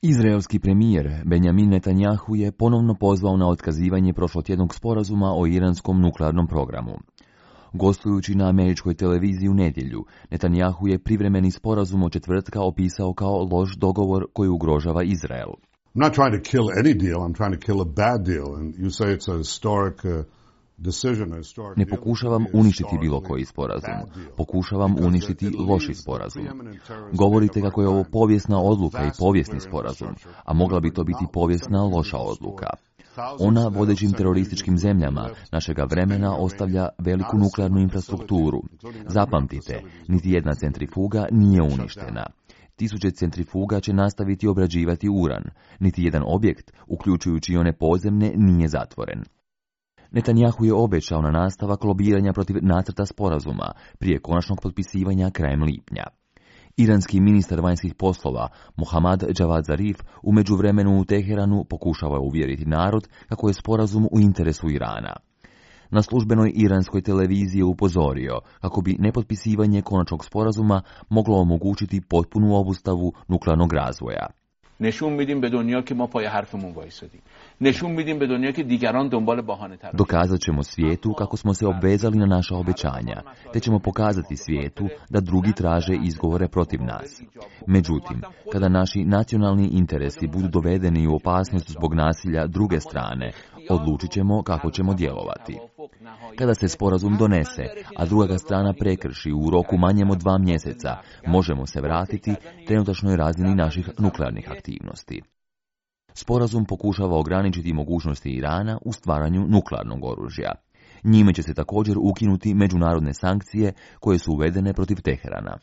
Izraelski premijer Benjamin Netanjahu je ponovno pozvao na otkazivanje prošlotjednog sporazuma o iranskom nuklearnom programu. Gostujući na američkoj televiziji u nedjelju, Netanjahu je privremeni sporazum od četvrtka opisao kao loš dogovor koji ugrožava Izrael. I'm not trying to kill any deal, I'm trying to kill a bad deal. And you say it's a historic Ne pokušavam uništiti bilo koji sporazum. Pokušavam uništiti loši sporazum. Govorite kako je ovo povijesna odluka i povijesni sporazum, a mogla bi to biti povijesna loša odluka. Ona vodećim terorističkim zemljama našega vremena ostavlja veliku nuklearnu infrastrukturu. Zapamtite, niti jedna centrifuga nije uništena. Tisuće centrifuga će nastaviti obrađivati uran. Niti jedan objekt, uključujući i one podzemne, nije zatvoren. Netanjahu je obećao na nastavak lobiranja protiv nacrta sporazuma prije konačnog potpisivanja krajem lipnja. Iranski ministar vanjskih poslova Mohammad Javad Zarif u međuvremenu u Teheranu pokušava uvjeriti narod kako je sporazum u interesu Irana. Na službenoj iranskoj televiziji je upozorio kako bi nepotpisivanje konačnog sporazuma moglo omogućiti potpunu obustavu nuklearnog razvoja. نشون میدیم به دنیا که ما پای حرفمون وایسادیم. نشون میدیم به دنیا که دیگران دنبال بهانه تر. Dokazat ćemo svijetu kako smo se obvezali na naša obećanja, te ćemo pokazati svijetu da drugi traže izgovore protiv nas. Međutim, kada naši nacionalni interesi budu dovedeni u opasnost zbog nasilja druge strane, odlučit ćemo kako ćemo djelovati. Kada se sporazum donese, a druga ga strana prekrši u roku manjem od 2 mjeseca, možemo se vratiti trenutačnoj razini naših nuklearnih aktivnosti. Sporazum pokušava ograničiti mogućnosti Irana u stvaranju nuklearnog oružja. Njime će se također ukinuti međunarodne sankcije koje su uvedene protiv Teherana.